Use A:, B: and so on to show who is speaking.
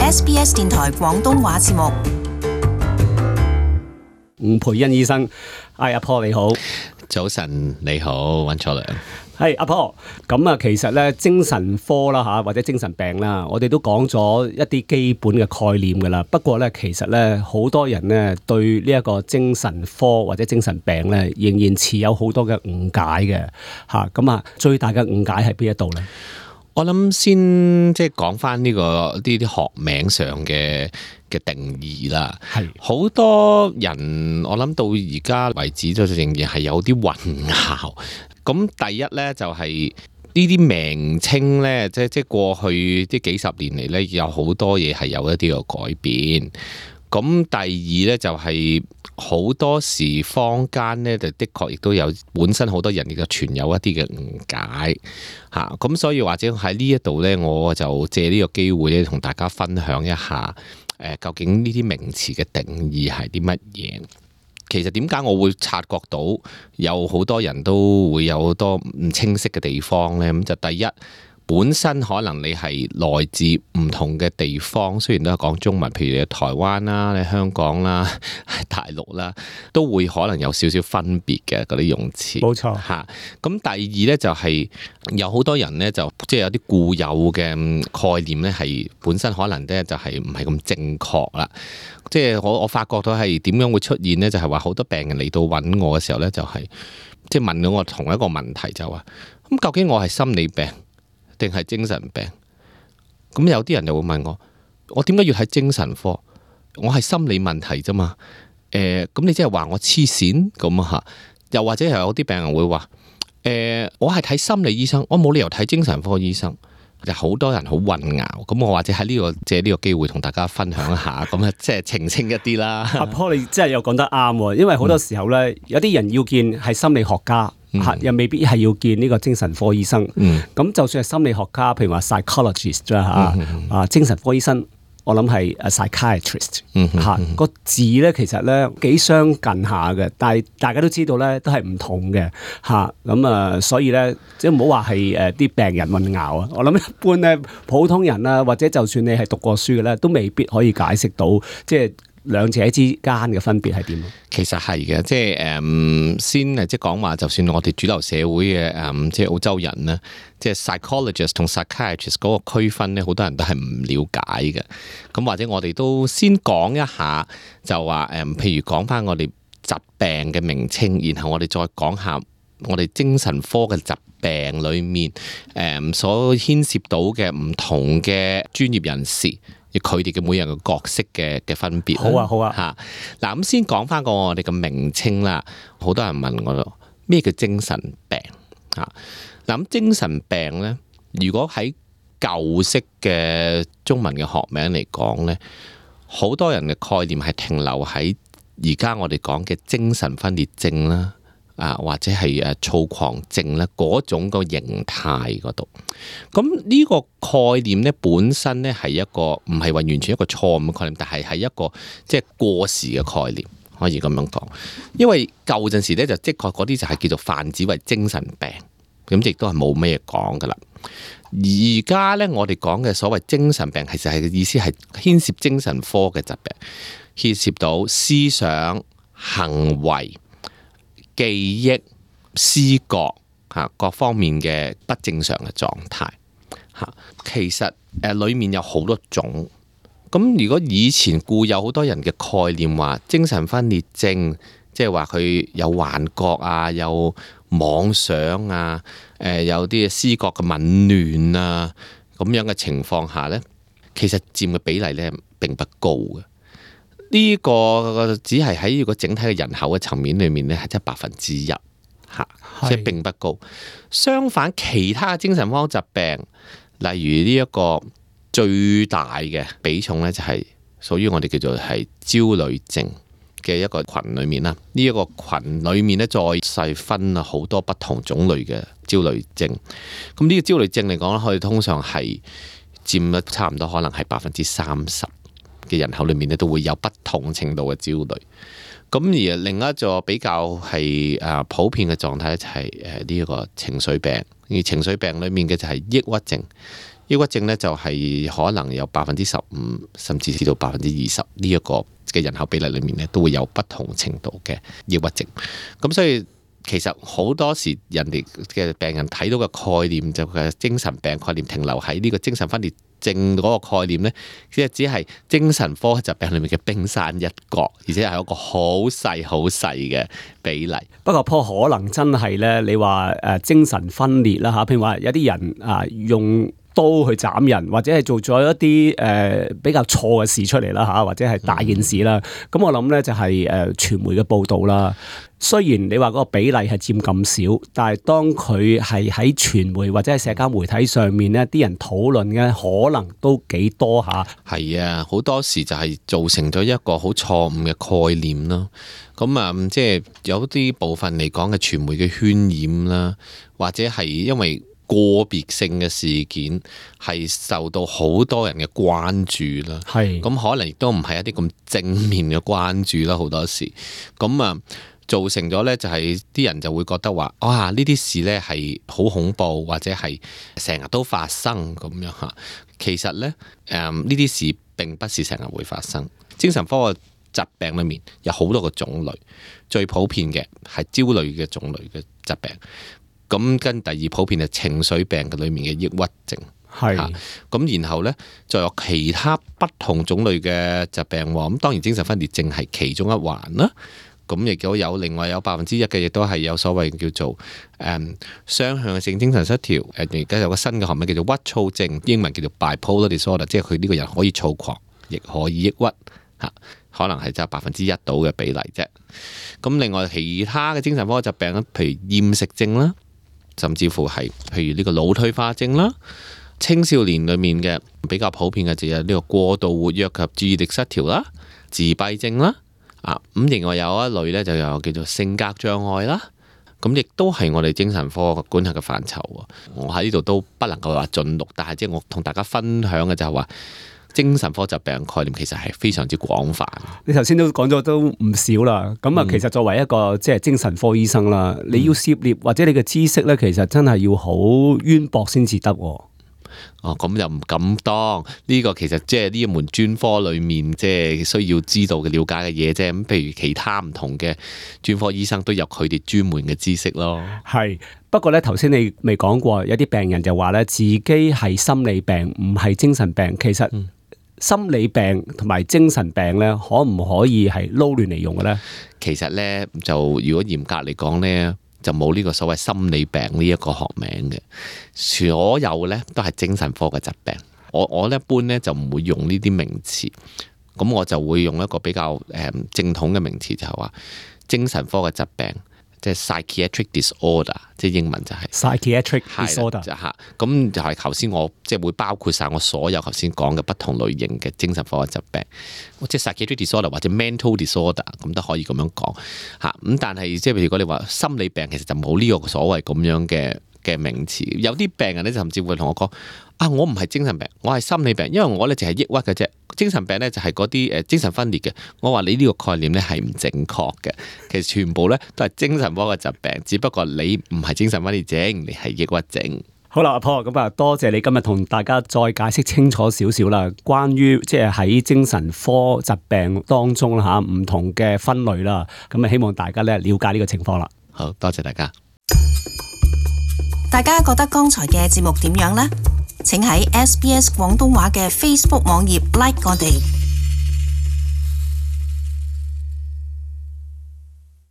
A: SBS 電台廣東話節目。
B: 吳培恩醫生，阿 Paul 你好。
C: 早晨你好，溫楚良。
B: 係阿 Paul，咁啊，其實咧精神科啦嚇，或者精神病啦，我哋都講咗一啲基本嘅概念㗎啦。不過咧，其實咧好多人咧對呢一個精神科或者精神病咧，仍然持有好多嘅誤解嘅嚇。咁啊，最大嘅誤解喺邊一度咧？
C: 我諗先即係講翻呢啲學名上嘅定義啦。係好多人我諗到而家為止都仍然係有啲混淆。咁第一咧就係呢啲名稱咧，即係過去啲幾十年嚟咧，有好多嘢係有一啲嘅改變。咁第二咧就係好多時坊間咧，就的確亦都有本身好多人亦都存有一啲嘅誤解嚇。咁所以或者喺呢一度咧，我就借呢個機會咧，同大家分享一下究竟呢啲名詞嘅定義係啲乜嘢？其實點解我會察覺到有好多人都會有好多唔清晰嘅地方呢？咁就第一，本身可能你係來自唔同嘅地方，雖然都係講中文，譬如你台灣啦、你香港啦、大陸啦，都會可能有少少分別嘅嗰啲用詞。
B: 冇錯
C: 嚇。咁第二呢，就係有好多人呢，就即係有啲固有嘅概念呢，係本身可能呢，就係唔係咁正確啦。即係我發覺到係點樣會出現呢？就係話好多病人嚟到揾我嘅時候呢，就係即係問到我同一個問題，就話咁究竟我係心理病定係精神病？咁有啲人就會問我點解要睇精神科？我係心理問題啫嘛。咁你即係話我黐線咁啊？又或者係有啲病人會話我係睇心理醫生，我冇理由睇精神科醫生。就好多人好混淆，咁我或者喺借呢個機會同大家分享一下，咁啊即係澄清一啲啦。
B: 阿 Paul 你真係又講得啱喎，因為好多時候咧，有啲人要見係心理學家，又未必係要見呢個精神科醫生。咁就算係心理學家，譬如話 psychologist 啦精神科醫生。我諗係 psychiatrist 嚇個字咧，其實咧幾相近下嘅，但係大家都知道咧都係唔同嘅嚇。咁啊，所以咧即係唔好話係啲病人混淆啊。我諗一般咧普通人啊，或者就算你係讀過書嘅咧，都未必可以解釋到即係兩者之間嘅分別係點？
C: 其實係嘅，即係先即係講話，就算我哋主流社會嘅即係澳洲人咧，即係 psychologist 同 psychiatrist 嗰個區分咧，好多人都係唔了解嘅。咁或者我哋都先講一下，就話譬如講翻我哋疾病嘅名稱，然後我哋再講下我哋精神科嘅疾病裏面所牽涉到嘅唔同嘅專業人士。佢哋嘅每人嘅角色嘅分別。
B: 好啊
C: 嚇。嗱咁先講翻個我哋嘅名稱啦。好多人問我咩叫精神病嚇？嗱咁精神病咧，如果喺舊式嘅中文嘅學名嚟講咧，好多人嘅概念係停留喺而家我哋講嘅精神分裂症啦。或者係躁狂症咧嗰種個形態嗰度，咁呢個概念咧本身咧係一個唔係話完全一個錯誤嘅概念，但係一個即係過時嘅概念，可以咁樣講。因為舊陣時咧就的確嗰啲就係叫做泛指為精神病，咁亦都係冇咩講噶啦。而家咧我哋講嘅所謂精神病，其實係意思係牽涉精神科嘅疾病，牽涉到思想、行為、記憶、思覺各方面嘅不正常嘅狀態嚇，其實裡面有好多種。咁如果以前固有好多人嘅概念話精神分裂症，即係話佢有幻覺啊，有妄想啊，有啲思覺嘅紊亂啊，咁樣嘅情況下呢，其實佔嘅比例呢並不高嘅。呢個只係喺呢個整體嘅人口嘅層面裏面咧，係即係1%嚇，即係並不高。相反，其他嘅精神科疾病，例如呢一個最大嘅比重咧，就係屬於我哋叫做係焦慮症嘅一個群裏面啦。呢一個群裏面咧，再細分啊好多不同種類嘅焦慮症。咁呢個焦慮症嚟講咧，佢通常係佔咗差唔多，可能係30%。嘅人口裏面咧，都會有不同程度嘅焦慮。咁而另一個比較係普遍嘅狀態咧，就係呢一個情緒病。而情緒病裏面嘅就係抑鬱症。抑鬱症咧就係可能有15%甚至至到20%呢一個嘅人口比例裏面咧，都會有不同程度嘅抑鬱症。咁所以其實好多時人哋嘅病人睇到嘅概念就係精神病概念停留喺呢個精神分裂症嗰個概念咧，即係只係精神科疾病裏面嘅冰山一角，而且係一個好細嘅比例。
B: 不過可能真係咧，你話精神分裂啦嚇，譬如話有啲人用刀去斬人，或者係做咗一啲比較錯嘅事出嚟啦嚇，或者係大件事啦。咁我諗咧就係傳媒嘅報導啦。雖然你話嗰個比例係佔咁少，但係當佢係喺傳媒或者係社交媒體上面咧，啲人討論嘅可能都幾多下。
C: 係啊，好多時就係造成咗一個好錯誤嘅概念咯。咁即係有啲部分嚟講嘅傳媒嘅渲染啦，或者係因為個別性嘅事件係受到好多人嘅關注啦。係咁可能亦都唔係一啲咁正面嘅關注啦，好多時咁造成咗咧，就係啲人就會覺得話，哇！呢啲事咧係好恐怖，或者係成日都發生咁樣嚇。其實咧，呢啲事並不是成日會發生。精神科嘅疾病裏面有好多個種類，最普遍嘅係焦慮嘅種類嘅疾病。咁跟第二普遍係情緒病嘅裏面嘅抑鬱症。係咁，然後咧就有其他不同種類嘅疾病喎。咁當然精神分裂症係其中一環啦。咁亦都有另外有1%嘅，亦都係有所謂叫做雙向性精神失調。而家有個新嘅學名叫做鬱躁症，英文叫做 bipolar disorder， 即係佢呢個人可以躁狂，亦可以抑鬱嚇，可能係就1%到嘅比例啫。咁另外其他嘅精神科疾病咧，譬如厭食症啦，甚至乎係譬如呢個腦退化症啦，青少年裡面嘅比較普遍嘅就有呢個過度活躍及注意力失調啦、自閉症啦。咁另外有一類咧，就有叫做性格障礙啦，咁亦都係我哋精神科管轄嘅範疇。我喺呢度都不能夠話盡錄，但係即係我同大家分享嘅就係話，精神科疾病概念其實係非常之廣泛。
B: 你頭先都講咗都唔少啦，咁其實作為一個即係精神科醫生啦，你要涉獵或者你嘅知識咧，其實真係要好淵博先至得。
C: 咁又唔敢當呢個，其實即係呢一門專科裏面即係需要知道嘅了解嘅嘢啫。咁譬如其他唔同嘅專科醫生都有佢哋專門嘅知識咯。係，
B: 不過咧頭先你未講過，有啲病人就話咧自己係心理病，唔係精神病。其實心理病同埋精神病咧，可唔可以係撈亂嚟用嘅咧？
C: 其實咧就如果嚴格嚟講咧，就冇呢個所謂心理病呢一個學名嘅，所有咧都係精神科嘅疾病。我一般咧就唔會用呢啲名詞，咁我就會用一個比較正統嘅名詞，就係話精神科嘅疾病，即係 psychiatric disorder， 即係英文就係
B: psychiatric disorder。
C: 咁就係頭先我即係會包括晒我所有頭先講嘅不同類型嘅精神科嘅疾病，即係 psychiatric disorder 或者 mental disorder， 咁都可以咁樣講嚇。咁但係即係如果你話心理病，其實就冇呢個所謂咁樣嘅名詞。有啲病人咧甚至會同我講：我唔係精神病，我係心理病，因為我咧就係抑鬱嘅啫。精神病咧就係嗰啲精神分裂嘅。我話你呢個概念咧係唔正確嘅，其實全部咧都係精神科嘅疾病，只不過你唔係精神分裂症，你係抑鬱症。
B: 好啦，阿 Paul，咁多謝你今日同大家再解釋清楚少少啦，關於即係喺精神科疾病當中啦唔同嘅分類啦，咁希望大家咧了解呢個情況啦。
C: 好多謝大家。
A: 大家覺得剛才嘅節目點樣呢？請喺SBS 廣東話嘅 Facebook 網頁 like 我哋。